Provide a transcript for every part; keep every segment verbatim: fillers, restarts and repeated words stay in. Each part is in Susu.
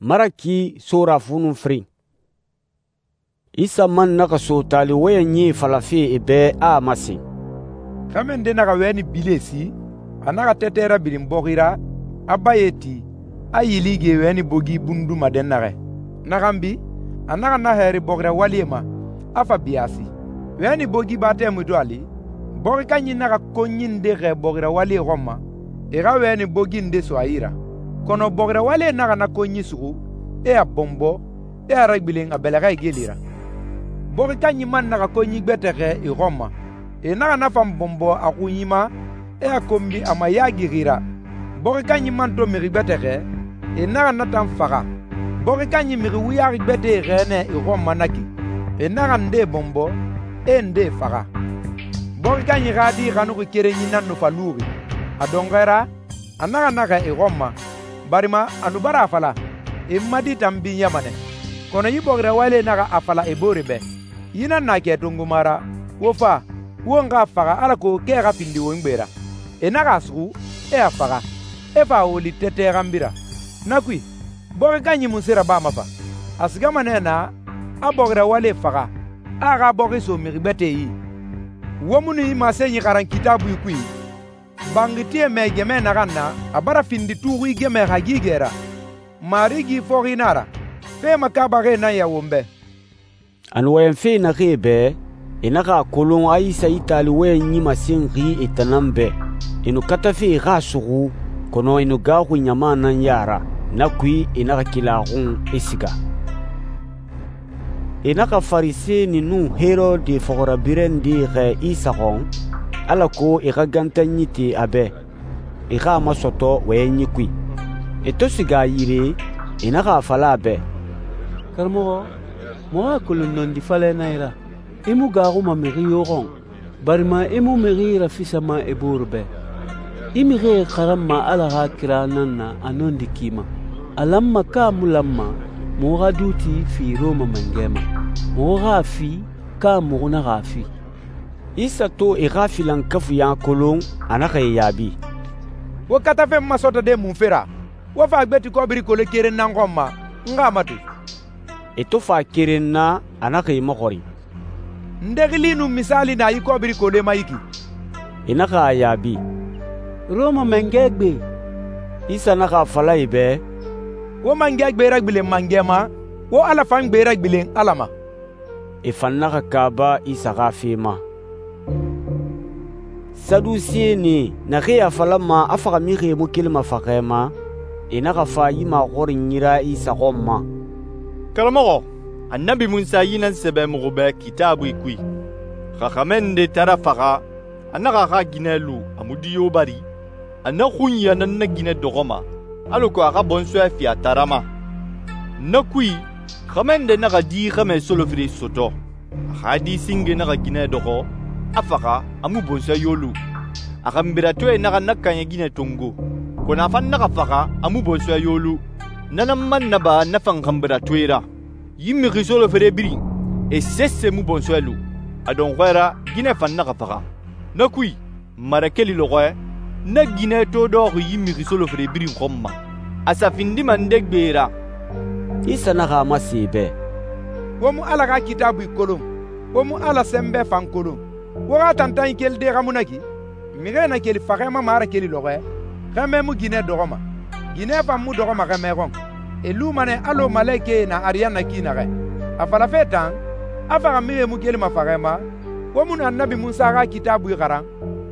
Maraki sora fu nun firin. Isa man naxa so taali wɔyɛnyi falafe e bɛ, a a masen: «Xɛmɛ nde naxa wɛni bile si, a naxa tɛtɛ rabilin bɔxi ra, a baye ti, a yilige wɛni bogi bunduma dɛnnaxɛ. Na xanbi, a naxa na hɛɛri bɔxi rawalie ma, a fa biyaasi. Wɛni bogi ba tɛmui to a li, bɔxi kanyi naxa konyi nde xɛɛ bɔxi rawalie xɔn ma, e xa wɛni bogi nde so a yi ra. Kɔnɔ bɔxi rawalie naxa na konyi suxu, e a bɔnbɔ, e a ragbilen a bɛlɛxɛ igeli ra. Bɔxi kanyi man naxa konyi gbɛtɛ xɛɛ e xɔn ma, e naxa na fan bɔnbɔ a xunyi ma, e a konbi a mayagixi ra. Bɔxi kanyi man to mixi gbɛtɛ xɛɛ, e naxa na tan faxa. Bɔxi kanyi mixi wuyaxi gbɛtɛe xɛɛ nɛ e xɔn ma na ki, e naxa ndee bɔnbɔ, e ndee faxa. Bɔxi kanyi xa di xanuxi kerenyi nan nu fa luxi. A dɔnxɔɛ ra, a naxa na xɛɛ e xɔn ma, barima a nu bara a fala, e n ma di tan binyama nɛ. Kɔnɔ yi bɔxi rawalie naxa a fala e boore bɛ, yi nan na kɛ tongoma ra, wo fa, won xa a faxa alako kɛ xa findi won gbe ra. E naxa a suxu, e a faxa, e fa a woli tɛtɛ xanbi ra. Na kui, bɔxi kanyi munse rabama fa? A sigama nɛ na, a bɔxi rawalie faxa, a a xa bɔxi so mixi gbɛtɛe yi. Wo mu nu yi masenyi xaran Kitaabui kui? Banxitie mɛ gɛmɛ naxan na, a bara findi tuxui gɛmɛ hagigɛ ra. Marigi fɔxi na a ra. Fe makaabaxie nan ya won bɛ.» A nu wɔyɛnfe naxee bɛ, e naxa a kolon a Isa yi taali wɔyɛnyi masenxi e tan nan bɛ. E nu katafe e xa a suxu, kɔnɔ e nu gaaxui ɲama nan ya ra. Na kui, e naxa keli a xun, e siga. E naxa Farisɛni nun Herode fɔxirabirɛ nde xɛɛ Isa xɔn, alako e xa gantanyi te a bɛ, e xa a masɔtɔ wɔyɛnyi kui. E to siga a yire, e naxa a fala a bɛ: «Karamɔxɔ, muxu a kolon nɔndi falɛ na i ra. I mu gaaxuma mixi yo xɔn, barima i mu mixi rafisama e bore bɛ. I mixie xaranma Ala xa kira nan na a nɔndi ki ma. A lanma ka mu lanma muxu xa duuti fi Rɔma mangɛ ma. Muxu xa a fi ka muxu naxa a fi.» Isa to e xa filankafuya kolon, a naxa e yaabi: «Wo katafe n masɔtɔde munfe ra? Wo fa a gbeti kɔbiri kole keren nan xɔn ma, n xa a matu.» E to fa keren na, a naxa e maxɔrin: «Nde xili nun misaali na yi kɔbiri kole ma yi ki?» E naxa a yaabi: «Rɔma mangɛ gbe.» Isa naxa a fala e bɛ: «Wo mangɛ gbe ragbilen mangɛ ma, wo Ala fan gbe ragbilen Ala ma.» E fan naxa kaaba Isa xa fe ma. Sadusiyɛni naxee a falama a faxamixie mu kelima faxɛ ma, e naxa fa yi maxɔrinyi ra Isa xɔn ma: «Karamɔxɔ, Annabi Munsa yi nan sɛbɛ muxu bɛ Kitaabui kui. Xa xɛmɛ nde taara faxa, a naxa a xa ginɛ lu a mu di yo bari, a na xunya nan na ginɛ dɔxɔma, alako a xa bɔnsɔɛ fi a taara ma. Na kui, xɛmɛ nde naxa di xɛmɛ solofere sɔtɔ, a xa di singe naxa ginɛ dɔxɔ, a faxa a mu bɔnsɔɛ yo lu. A xanbiratoe naxa na kaɲɛ ginɛ tongo, kɔnɔ a fan naxa faxa a mu bɔnsɔɛ yo lu. Na nan man naba na fan xanbiratoe ra. Yi mixi solofere birin, e sese mu bɔnsɔɛ lu. A dɔnxɔɛ ra, ginɛ fan naxa faxa. Na kui, marakeli lɔxɔɛ, na ginɛ to dɔxi yi mixi solofere birin xɔn ma. A sa findima nde gbe ra?» Isa naxa a masen e bɛ: «Wo mu Ala xa Kitaabui kolon, wo mu Ala sɛnbɛ fan kolon. Wo xa tantanyi keli de xa mu na ki? Mixie na keli faxɛma marakeli lɔxɔɛ, xɛmɛ mu ginɛ dɔxɔma, ginɛ fan mu dɔxɔma xɛmɛ xɔn. E luma nɛ alɔ malekɛe na ariyanna ki naxɛ. A falafe tan, a faxamixie mu kelima faxɛma, wo mu nu Annabi Munsa xa Kitaabui xaran,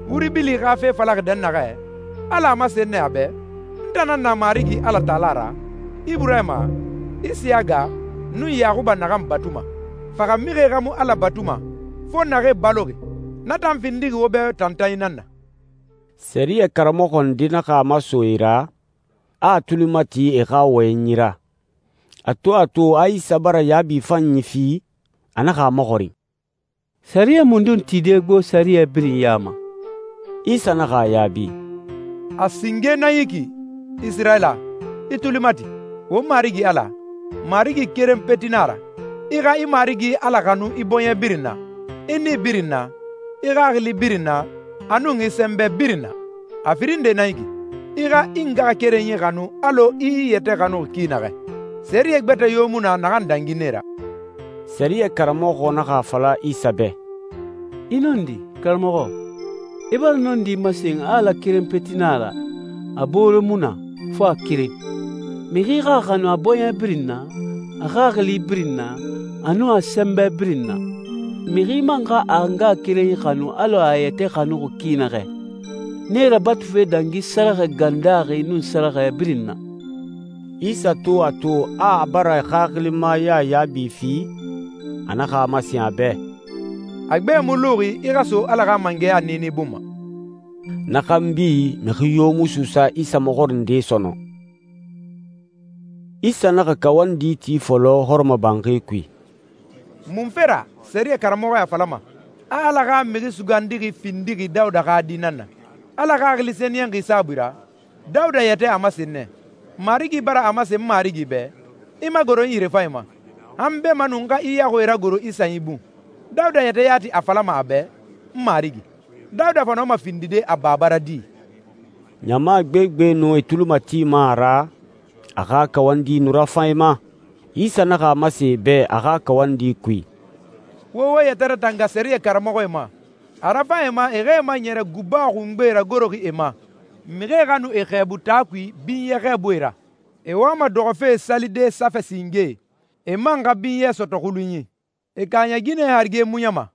wuri bili xa fe falaxi dɛnnaxɛ, Ala a masen nɛ a bɛ, n tan nan na Marigi Ala Taala ra, Iburahima, Isiyaga, nun Yaxuba naxan batuma. Faxamixie xa mu Ala batuma, fo naxee baloxi. Na tan findixi wo bɛ tantanyi nan na.» Sɛriyɛ karamɔxɔ nde naxa a maso e ra, a a tuli mati e xa wɔyɛnyi ra. A to a to a Isa bara yaabi fanyi fi, a naxa a maxɔrin: «Sariya mundun tide gbo sariya birin ya ma?» Isa naxa a yaabi: «A singe nan yi ki, Isirayila, i tuli mati, wo Marigi Ala, Marigi keren peti nan a ra. I xa i Marigi Ala xanu i bɔɲɛ birin na, i ni birin na, i xaxili birin na, a nun i sɛnbɛ birin na. A firin nde nan yi ki, i xa i ngaxakerenyi xanu alɔ i i yɛtɛ xanuxi ki naxɛ. Sɛriyɛ gbɛtɛ yo mu na naxan dangi nɛ ra.» Sɛriyɛ karamɔxɔ naxa a fala Isa bɛ, «I nɔndi, karamɔxɔ, i bara nɔndi masen a Ala keren peti nan a ra, a boore mu na, fo a keren. Mixi xa a xanu a bɔɲɛ birin na, a xaxili birin na, a nun a sɛnbɛ birin na. Mixi man xa a ngaxakerenyi xanu alɔ a yɛtɛ xanuxi ki naxɛ. Nee rabatufe dangi sɛrɛxɛ gandaxi nun sɛrɛxɛ birin na.» Isa to a to a a bara xaxilima Yaya yaabi fi, a naxa a masen a bɛ, «A gbe mu luxi i xa so Ala xa mangɛya niini bun ma.» Na xanbi mixi yo mu suusa Isa maxɔrinde sɔnɔn. Isa naxa kawandi ti fɔlɔ hɔrɔmɔbanxi kui. «Munfe ra sɛriyɛ karamɔxɔ a falama a Ala xa mixi sugandixi findixi Dawuda xa di nan na? Ala Xaxili Sɛniyɛnxi saabui ra, Dawuda yɛtɛ a masen nɛ, Marigi bara a masen n Marigi bɛ, ‹I magoro n yirefanyi ma, han beenma nu n xa i yaxuie ragoro i sanyi bun.› Dawuda yɛtɛ yati a falama a bɛ, ‹N Marigi.› Dawuda fa nɔma findide a baba ra di.» Ɲama gbegbe nu e tuli matima a ra, a xa kawandi nu rafan e ma. Isa naxa a masen e bɛ a xa kawandi kui, «Wo wo yɛtɛ ratanga sɛriyɛ karamɔxɔe ma, a rafan e ma e xa e maɲɛrɛ guba xungbe ragoroxi e ma, mixie xa nu e xɛɛbu taa kui binyɛ xɛɛbuie ra. E wama dɔxɔfe salide safɛ singe, e man xa binyɛ sɔtɔ xulunyi. E kaaɲɛ ginɛ harige muɲama,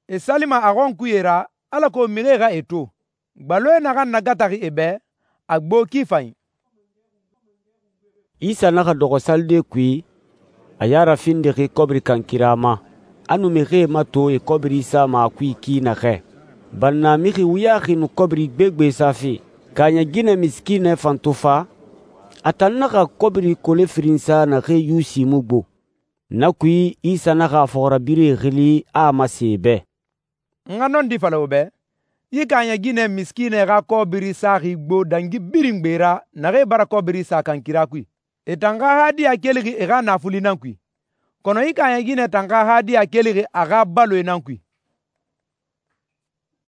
e salima a xɔnkuye ra alako mixie xa e to. Gbaloe naxan nagataxi e bɛ, a gbo ki fanyi.» Isa naxa dɔxɔ salide kui, a ya rafindixi kɔbiri kan kira ma. A nu mixie mato e kɔbiri sama a kui ki naxɛ. Banna mixi wuyaxi nu kɔbiri gbegbe safe. Kaaɲɛ ginɛ misikinɛ fan to fa, a tan naxa kɔbiri kole firin sa naxee Yusi mu gbo. Na kui Isa naxa a fɔxirabirɛe xili a a masen e bɛ, «N xa nɔndi fala wo bɛ, yi kaaɲɛ ginɛ misikinɛ xa kɔbiri saxi gbo dangi birin gbe ra naxee bara kɔbiri sa kan kira kui. E tan xa hadiya kelixi e xa naafuli nan kui, kɔnɔ yi kaaɲɛ ginɛ tan xa hadiya kelixi a xa baloe nan kui.